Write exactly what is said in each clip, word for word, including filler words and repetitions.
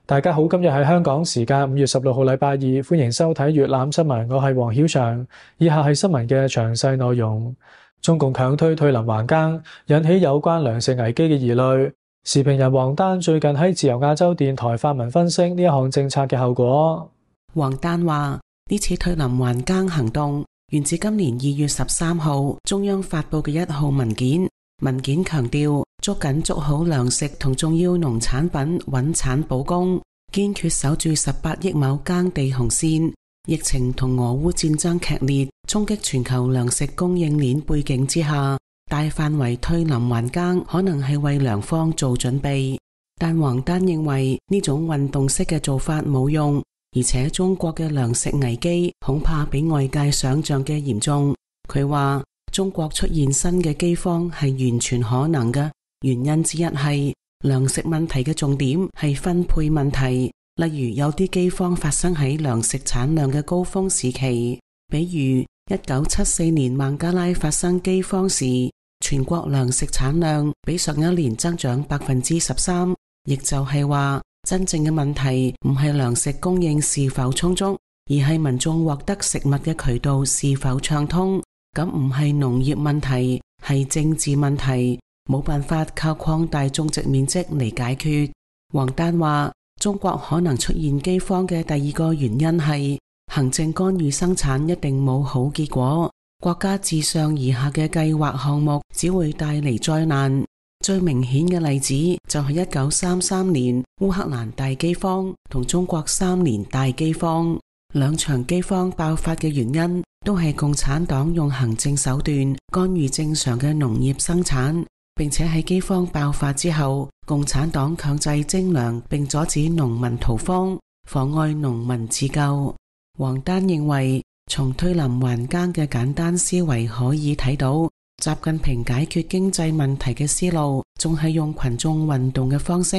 大家好，今日係香港時間五月十六號禮拜二，歡迎收睇粵覽新聞，我係黃曉翔。以下係新聞嘅詳細內容。中共強推退林還耕，引起有關糧食危機嘅疑慮。時評人王丹最近喺自由亞洲電台發文分析呢一項政策嘅後果。王丹話：呢次退林還耕行動源自今年二月十三號中央發佈嘅一號文件。文件強調，捉緊捉好糧食同重要農產品穩產保供，堅決守住十八億畝耕地紅線。疫情同俄烏戰爭劇烈衝擊全球糧食供應鏈背景之下，大範圍退林還耕可能係為糧荒做準備。但王丹認為呢種運動式嘅做法冇用，而且中國嘅糧食危機恐怕比外界想象嘅嚴重。佢話中國出現新嘅饑荒係完全可能嘅，原因之一係糧食問題嘅重點係分配問題。例如有啲饑荒發生喺糧食產量嘅高峰時期，比如一九七四年孟加拉發生饑荒時，全國糧食產量比上一年增長百分之十三，亦就係話真正嘅問題唔係糧食供應是否充足，而係民眾獲得食物嘅渠道是否暢通。咁唔係農業問題，係政治問題，冇辦法靠擴大種植面積嚟解決。王丹話，中國可能出現饑荒嘅第二個原因係行政干預生產一定冇好結果，國家自上而下嘅計劃項目只會帶嚟災難。最明顯嘅例子就係一九三三年烏克蘭大饑荒同中國三年大饑荒，兩場饑荒爆發嘅原因都係共產黨用行政手段干預正常嘅農業生產，並且喺饑荒爆發之後，共產黨強制徵糧並阻止農民逃荒，妨礙農民自救。王丹認為，從退林還耕嘅簡單思維可以睇到，習近平解決經濟問題嘅思路仲係用群眾運動嘅方式，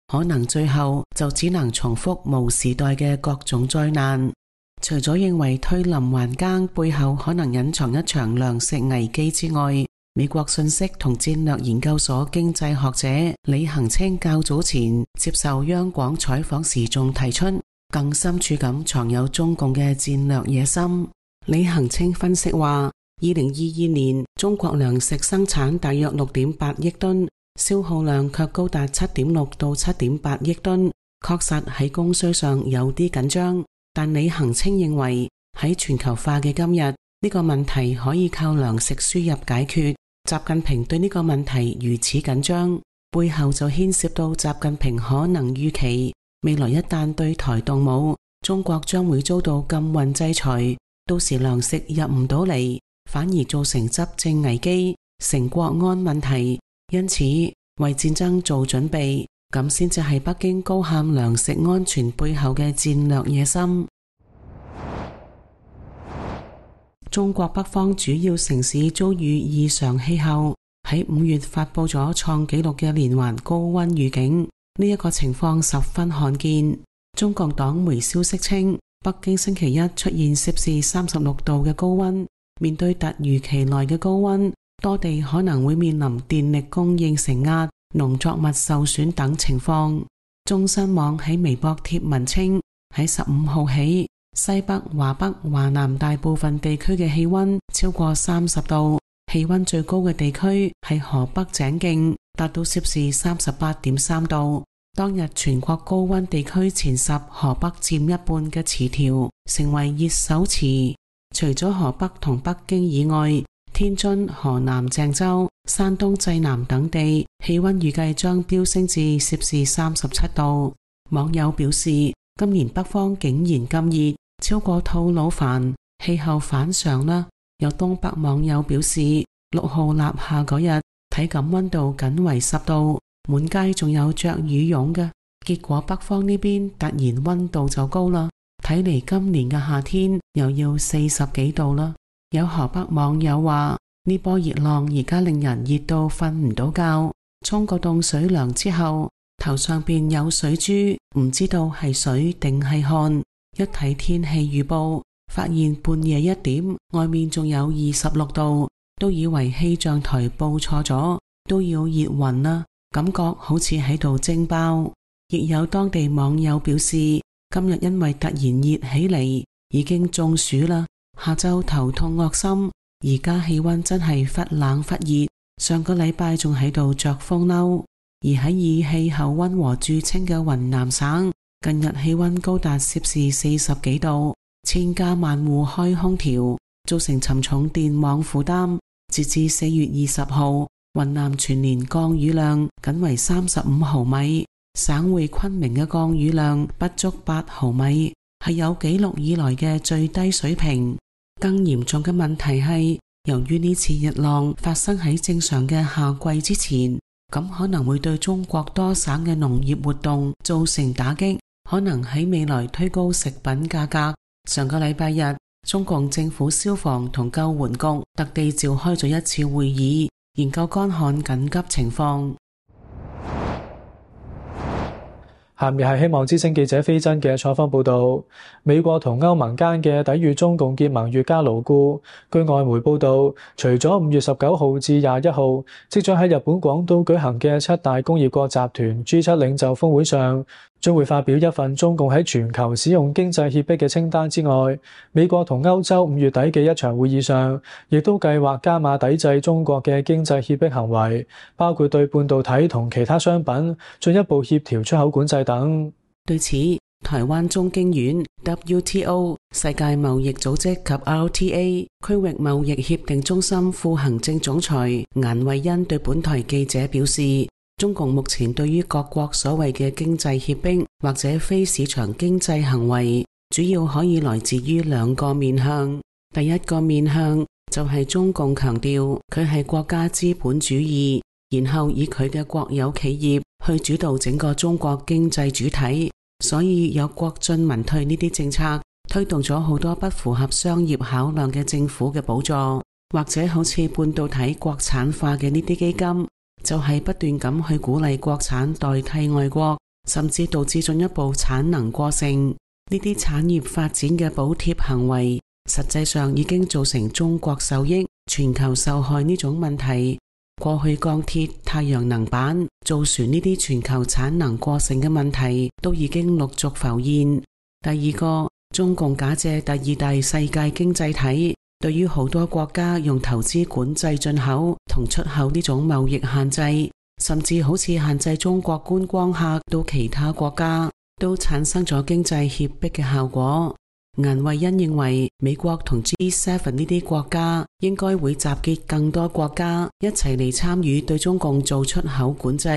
可能最後就只能重複毛時代嘅各種災難。除咗認為退林還耕背後可能隱藏一場糧食危機之外，美國信息同戰略研究所經濟學者李恒清較早前接受央廣採訪時仲提出，更深處咁藏有中共嘅戰略野心。李恒清分析話，二零二二年中國糧食生產大約六點八億噸，消耗量卻高達七點六到七點八億噸，確實喺供需上有啲緊張。但李恒清認為喺全球化嘅今日，呢個問題可以靠糧食輸入解決。習近平對呢個問題如此緊張，背後就牽涉到習近平可能預期未來一旦對台動武，中國將會遭到禁運制裁，到時糧食入唔到嚟，反而造成執政危機，成國安問題。因此為戰爭做準備，咁先至係北京高喊糧食安全背後嘅戰略野心。中國北方主要城市遭遇異常氣候，喺五月發佈咗創紀錄嘅連環高溫預警，呢一個情況十分罕見。中共黨媒消息稱，北京星期一出現攝氏三十六度嘅高溫，面對突如其來嘅高溫，多地可能會面臨電力供應承壓、農作物受損等情況。中新網喺微博貼文稱，喺十五號起，西北、華北、華南大部分地區嘅氣溫超過三十度，氣溫最高嘅地區係河北井徑，達到攝氏三十八點三度。當日全國高溫地區前十，河北佔一半嘅詞條，成為熱搜詞。除咗河北同北京以外，天津、河南鄭州、山東濟南等地氣溫預計將飆升至攝氏三十七度。網友表示，今年北方竟然咁熱，超過吐魯番，氣候反常啦。有東北網友表示，六號立夏嗰日體感溫度僅為十度，滿街仲有着羽絨嘅。結果北方呢邊突然溫度就高啦，睇嚟今年嘅夏天又要四十幾度啦。有河北網友話，呢波熱浪而家令人熱到瞓唔到覺，沖個凍水涼之後，頭上邊有水珠，唔知道係水定係汗。一睇天氣預報，發現半夜一點外面仲有二十六度，都以為氣象台報錯咗，都要熱暈啦，感覺好似喺度蒸包。亦有當地網友表示，今日因為突然熱起嚟，已經中暑啦，下晝頭痛惡心，而家氣溫真係忽冷忽熱，上個禮拜仲喺度着風褸。而喺以氣候溫和著稱嘅雲南省，近日氣溫高達攝氏四十幾度，千家萬戶開空調，造成沉重電網負擔。截至四月二十號，雲南全年降雨量僅為三十五毫米，省會昆明嘅降雨量不足八毫米，係有紀錄以來嘅最低水平。更嚴重嘅問題係，由於呢次熱浪發生喺正常嘅夏季之前，咁可能會對中國多省嘅農業活動造成打擊，可能喺未來推高食品價格。上個禮拜日，中共政府消防同救援局特地召開咗一次會議，研究乾旱緊急情況。下面係希望之聲記者飛真嘅採訪報導。美國同歐盟間嘅抵禦中共結盟越加牢固。據外媒報導，除咗五月十九號至廿一號即將喺日本廣島舉行嘅七大工業國集團 G 七領袖峰會上，將會發表一份中共喺全球使用經濟脅迫嘅清單之外，美國同歐洲五月底嘅一場會議上，亦都計劃加碼抵制中國嘅經濟脅迫行為，包括對半導體同其他商品進一步協調出口管制等。對此，台灣中經院、W T O、世界貿易組織及 R T A 區域貿易協定中心副行政總裁顏惠恩對本台記者表示，中共目前對於各國所謂嘅經濟脅迫或者非市場經濟行為，主要可以來自於兩個面向。第一個面向就係中共強調佢係國家資本主義，然後以佢嘅國有企業去主導整個中國經濟主體，所以有國進民退呢啲政策，推動咗好多不符合商業考量嘅政府嘅補助，或者好似半導體國產化嘅呢啲基金，就係不斷咁去鼓勵國產代替外國，甚至導致進一步產能過剩。呢啲產業發展嘅補貼行為，實際上已經造成中國受益、全球受害呢種問題。過去鋼鐵、太陽能板、造船呢啲全球產能過剩嘅問題都已經陸續浮現。第二個，中共假借第二大世界經濟體，對於好多國家用投資管制進口同出口呢種貿易限制，甚至好似限制中國觀光客到其他國家，都產生咗經濟脅迫嘅效果。顏惠恩認為，美國同 G 七 呢啲國家應該會集結更多國家一齊嚟參與對中共做出口管制，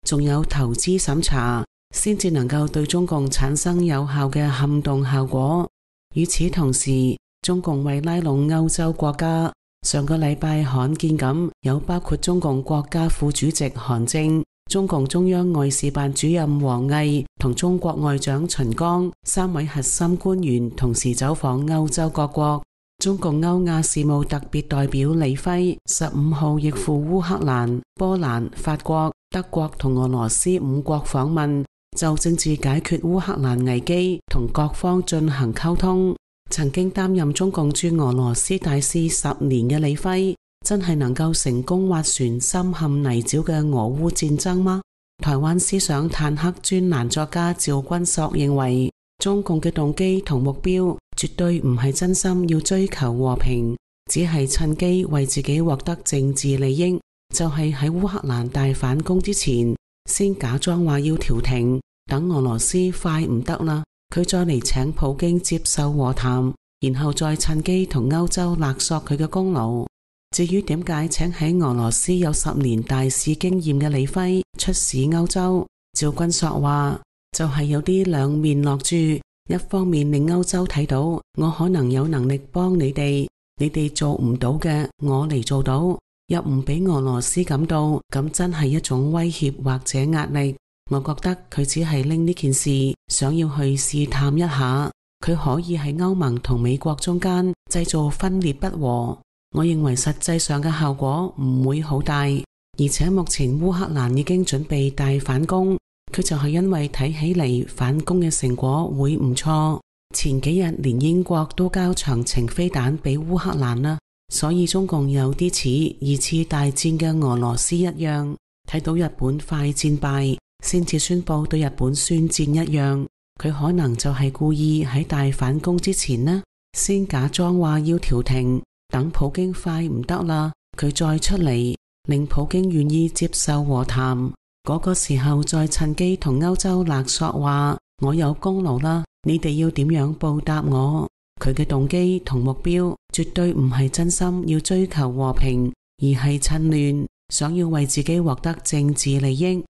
仲有投資審查，先至能夠對中共產生有效嘅撼動效果。與此同時，中共為拉攏歐洲國家，上個禮拜罕見咁有包括中共國家副主席韓正、中共中央外事辦主任王毅同中國外長秦剛三位核心官員同時走訪歐洲各國。中共歐亞事務特別代表李輝十五號亦赴烏克蘭、波蘭、法國、德國同俄羅斯五國訪問，就政治解決烏克蘭危機同各方進行溝通。曾經擔任中共駐俄羅斯大使十年嘅李輝，真係能夠成功斡旋深陷泥沼嘅俄烏戰爭嗎？台灣思想坦克專欄作家趙君朔認為，中共嘅動機同目標絕對唔係真心要追求和平，只係趁機為自己獲得政治利益，就係喺烏克蘭大反攻之前，先假裝話要調停，等俄羅斯快唔得啦，佢再嚟請普京接受和談，然後再趁機同歐洲勒索佢嘅功勞。至於點解請喺俄羅斯有十年大使經驗嘅李輝出使歐洲，趙君朔話就係、是、有啲兩面落注，一方面令歐洲睇到我可能有能力幫你哋，你哋做唔到嘅我嚟做到，又唔俾俄羅斯感到咁真係一種威脅或者壓力。我覺得佢只係拎呢件事想要去試探一下，佢可以喺歐盟同美國中間製造分裂不和。我認為實際上嘅效果唔會好大，而且目前烏克蘭已經準備大反攻，佢就係因為睇起嚟反攻嘅成果會唔錯。前幾日連英國都交長程飛彈俾烏克蘭啦，所以中共有啲似二次大戰嘅俄羅斯一樣，睇到日本快戰敗先至宣布對日本宣戰一樣。佢可能就係故意喺大反攻之前呢，先假裝話要調停，等普京快唔得啦，佢再出嚟，令普京願意接受和談，嗰個時候再趁機同歐洲勒索話我有功勞啦，你哋要點樣報答我。佢嘅動機同目標絕對唔係真心要追求和平，而係趁亂想要為自己獲得政治利益。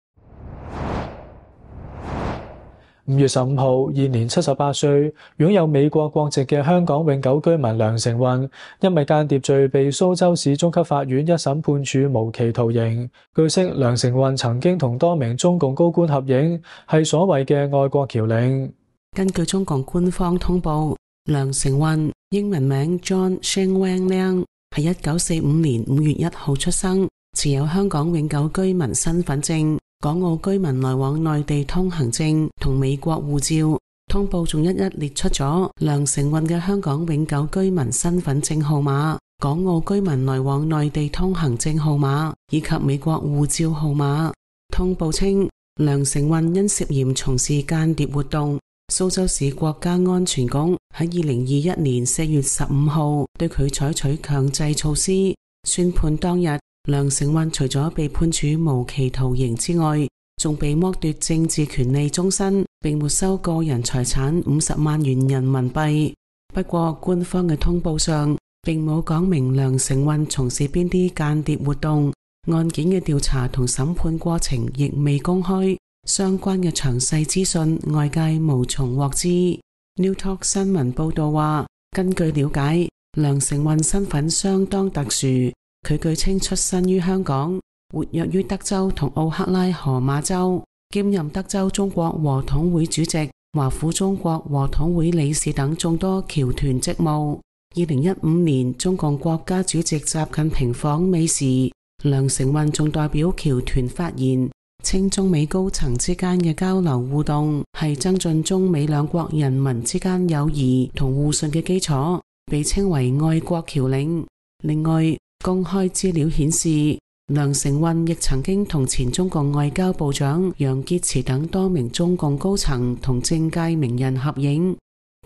五月十五號，現年七十八歲，擁有美國國籍嘅香港永久居民梁成運，因為間諜罪被蘇州市中級法院一審判處無期徒刑。據悉，梁成運曾經同多名中共高官合影，係所謂嘅愛國僑領。根據中共官方通報，梁成運英文名 John Sheng Wang Liang，係一九四五年五月一號出生，持有香港永久居民身份證、港澳居民來往內地通行證同美國護照。通報仲一一列出咗梁成運嘅香港永久居民身份證號碼、港澳居民來往內地通行證號碼以及美國護照號碼。通報稱，梁成運因涉嫌從事間諜活動，蘇州市國家安全局喺二零二一年四月十五號對佢採取強制措施。宣判當日，梁成運除咗被判處無期徒刑之外，仲被剝奪政治權利終身，並沒收個人財產五十萬元人民幣。不過官方嘅通報上並冇講明梁成運從事邊啲間諜活動，案件嘅調查同審判過程亦未公開，相關嘅詳細資訊外界無從獲知。New Talk 新聞報道話，根據了解，梁成運身份相當特殊，佢據稱出身於香港，活躍於德州同奧克拉荷馬州，兼任德州中國和統會主席、華府中國和統會理事等眾多僑團職務。二零一五年中共國家主席習近平訪美時，梁成運仲代表僑團發言，稱中美高層之間嘅交流互動係增進中美兩國人民之間友誼同互信嘅基礎，被稱為愛國僑領。另外，公開資料顯示，梁成運亦曾經同前中共外交部長楊潔篪等多名中共高層同政界名人合影。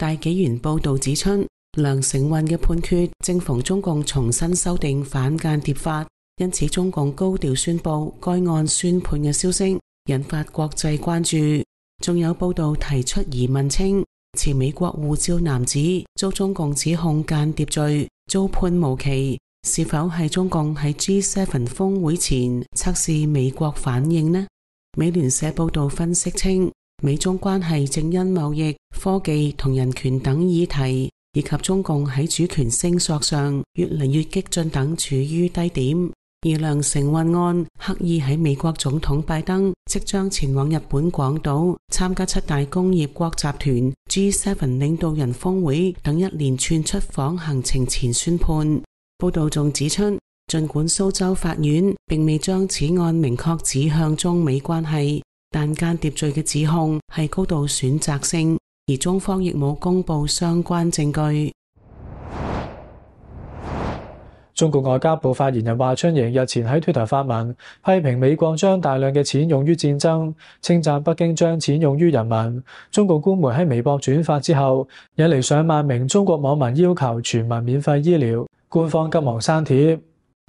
大紀元報道指出，梁成運嘅判決正逢中共重新修訂反間諜法，因此中共高調宣布該案宣判嘅消息，引發國際關注。仲有報道提出疑問稱，持美國護照男子遭中共指控間諜罪，遭判無期，是否係中共喺 G 七 峰會前測試美國反應呢？美聯社報道分析稱，美中關係正因貿易、科技同人權等議題，以及中共喺主權聲索上越嚟越激進等處於低點。而梁成運案刻意喺美國總統拜登即將前往日本廣島參加七大工業國集團 G 七 領導人峰會等一連串出訪行程前宣判。報道仲指出，儘管蘇州法院並未將此案明確指向中美關係，但間諜罪嘅指控係高度選擇性，而中方亦冇公布相關證據。中國外交部發言人華春瑩日前喺 Twitter 發文，批評美國將大量嘅錢用於戰爭，稱讚北京將錢用於人民。中共官媒喺微博轉發之後，引嚟上萬名中國網民要求全民免費醫療，官方急忙刪帖。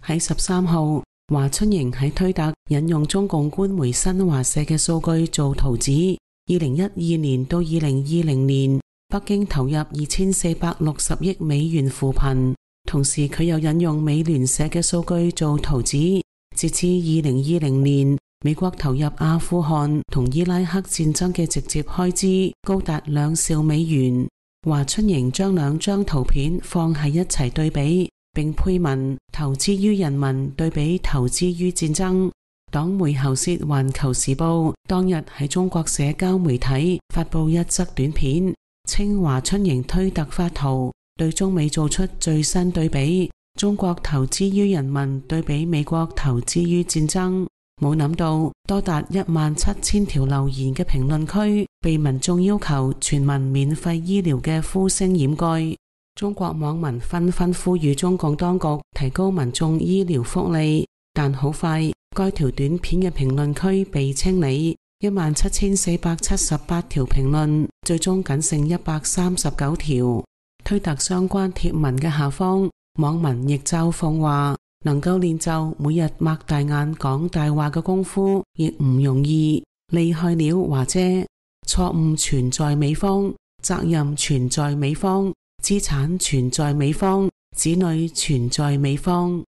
喺十三號，華春瑩喺推特引用中共官媒新華社嘅數據做圖指，二零一二年到二零二零年，北京投入二千四百六十億美元扶貧。同時佢又引用美聯社嘅數據做圖指，截至二零二零年，美國投入阿富汗同伊拉克戰爭嘅直接開支高達兩兆美元。華春瑩將兩張圖片放喺一齊對比，並配文投資於人民對比投資於戰爭。黨媒喉舌環球時報當日喺中國社交媒體發布一則短片，稱華春瑩推特發圖對中美做出最新對比，中國投資於人民對比美國投資於戰爭。冇諗到多達一萬七千條留言嘅評論區被民眾要求全民免費醫療嘅呼聲掩蓋。中國網民紛紛呼籲中共當局提高民眾醫療福利，但好快該條短片嘅評論區被清理，一萬七千四百七十八條評論，最終僅剩一百三十九條。推特相關貼文嘅下方，網民亦嘲諷話，能夠練就每日擘大眼講大話嘅功夫亦唔容易，厲害了華姐。錯誤存在美方，責任存在美方，資產存在美方，子女存在美方。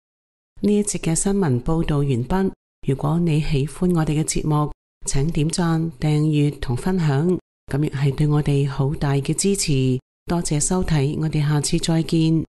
呢一節嘅新聞報道完畢。如果你喜歡我哋嘅節目，請點讚、訂閱同分享，咁亦係對我哋好大嘅支持。多謝收睇，我哋下次再見。